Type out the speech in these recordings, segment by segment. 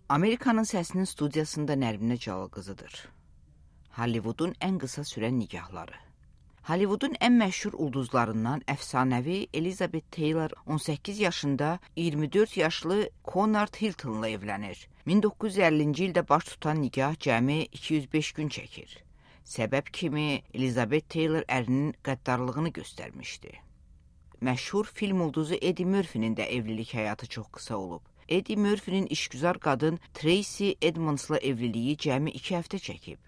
Amerikanın Səsinin studiyasında Nərminə Cəlal-qızıdır. Hollywoodun ən qısa sürən nikahları. Hollywoodun ən məşhur ulduzlarından əfsanəvi Elizabeth Taylor 18 yaşında 24 yaşlı Conrad Hilton'la evlənir. 1950-ci ildə baş tutan nikah cəmi 205 gün çəkir. Səbəb kimi Elizabeth Taylor ərinin qəddarlığını göstərmişdi. Məşhur film ulduzu Eddie Murphy'nin də evlilik həyatı çox qısa olub. Eddie Murphy'nin işgüzar qadın Tracy Edmonds'la evliliyi cəmi 2 həftə çəkib.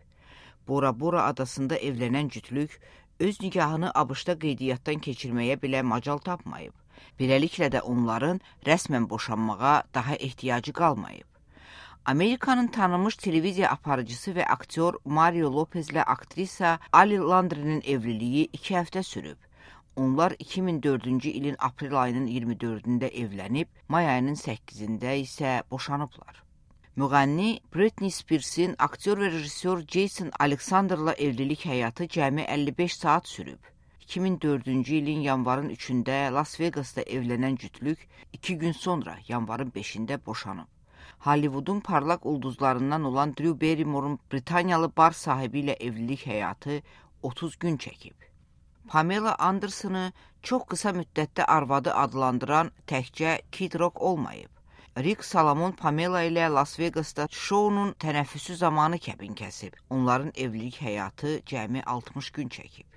Bora Bora adasında evlənən cütlük öz nikahını ABŞ-da qeydiyyatdan keçirməyə belə macal tapmayıb. Beləliklə də onların rəsmən boşanmağa daha ehtiyacı qalmayıb. Amerikanın tanınmış televiziya aparıcısı və aktyor Mario Lopezlə aktrisa Ali Landry'nin evliliyi 2 həftə sürüb. Onlar 2004-cü ilin aprel ayının 24-də evlənib, may ayının 8-də isə boşanıblar. Müğənni Britney Spears'in aktyor və rejissor Jason Alexander'la evlilik həyatı cəmi 55 saat sürüb. 2004-cü ilin yanvarın 3-də Las Vegas'da evlənən cütlük 2 gün sonra yanvarın 5-də boşanıb. Hollywoodun parlaq ulduzlarından olan Drew Barrymore'un Britaniyalı bar sahibi ilə evlilik həyatı 30 gün çəkib. Pamela Anderson'ı çox qısa müddətdə arvadı adlandıran təkcə Kid Rock olmayıb. Rick Salomon Pamela ilə Las Vegas'da şounun tənəffüsü zamanı kəbin kəsib. Onların evlilik həyatı cəmi 60 gün çəkib.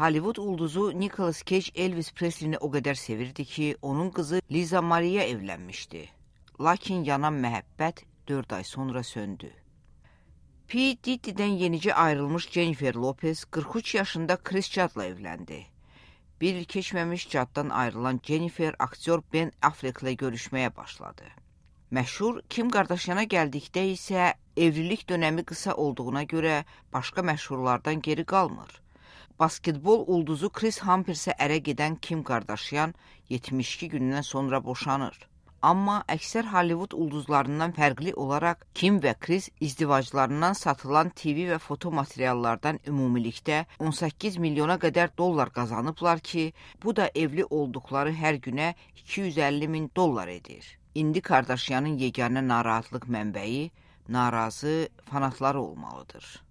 Hollywood ulduzu Nicolas Cage Elvis Presley'ni o qədər sevirdi ki, onun qızı Liza Maria evlənmişdi. Lakin yanan məhəbbət 4 ay sonra söndü. P. Diddy'dən yenicə ayrılmış Jennifer Lopez 43 yaşında Chris Judd'la evləndi. Bir il keçməmiş Judd'dan ayrılan Jennifer aktyor Ben Affleck'lə görüşməyə başladı. Məşhur Kim Kardashian'a gəldikdə isə evlilik dönəmi qısa olduğuna görə başqa məşhurlardan geri qalmır. Basketbol ulduzu Chris Humphreys'ə ərə gedən Kim Kardashian 72 gündən sonra boşanır. Amma əksər Hollywood ulduzlarından fərqli olaraq Kim və Chris izdivaclarından satılan TV və foto materiallardan ümumilikdə 18 milyona qədər dollar qazanıblar ki, bu da evli olduqları hər günə 250 min dollar edir. İndi Kardashian'ın yeganə narahatlıq mənbəyi narazı fanatları olmalıdır.